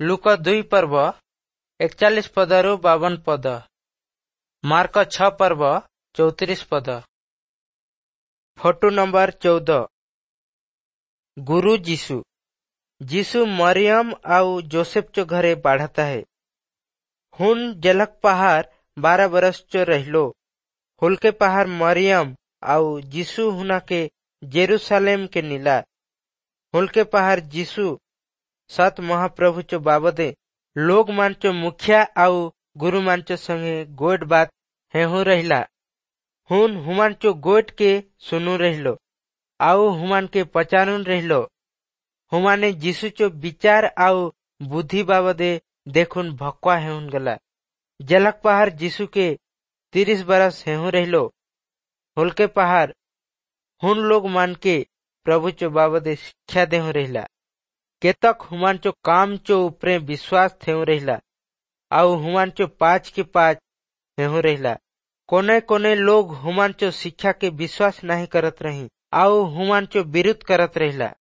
ଲୂକ 2 ପର୍ବ 41 ପଦରୁ 52 ପଦ। ମାର୍କ 6 ପର୍ବ 34 ପଦ। Photo number 14। ଗୁରୁ ଯୀଶୁ। ଯୀଶୁ ମରିୟମ ଆଉ जोसेफ चो घरे बाढ़ता है। हुन जलक पहाड़ 12 बरस चो रहिलो। हुलके पहाड़ मरियम आउ यीशु हुना के जेरूशलेम के नीला। हुलके पहाड़ यीशु सत महाप्रभु चो बाबदे लोग मान चो मुखिया आउ गुरु मान चो संगे गोठ बात हेहू रहिला। हुन हुमान चो गोठ के सुनू रहिलो आउ हुमान के पचारून रहिलो। हुमाने यीशु चो विचार आउ बुद्धि बाबदे देखुन भक्वा हेहुन गला। जलक पहाड़ यीशु के 30 बरस हेहू रहिलो। हुलके पहाड़ हुन लोग मान के प्रभु चो बाबदे शिक्षा देहु रहिला। केतक हुमान चो काम चो ऊपरे विश्वास थेहू रहिला आउ हुमान चो पाँच के पाँच हेहू रहिला। कोने कोने लोग हुमान चो शिक्षा के विश्वास नहीं करत रही आउ हुमान चो विरोध करत रहिला।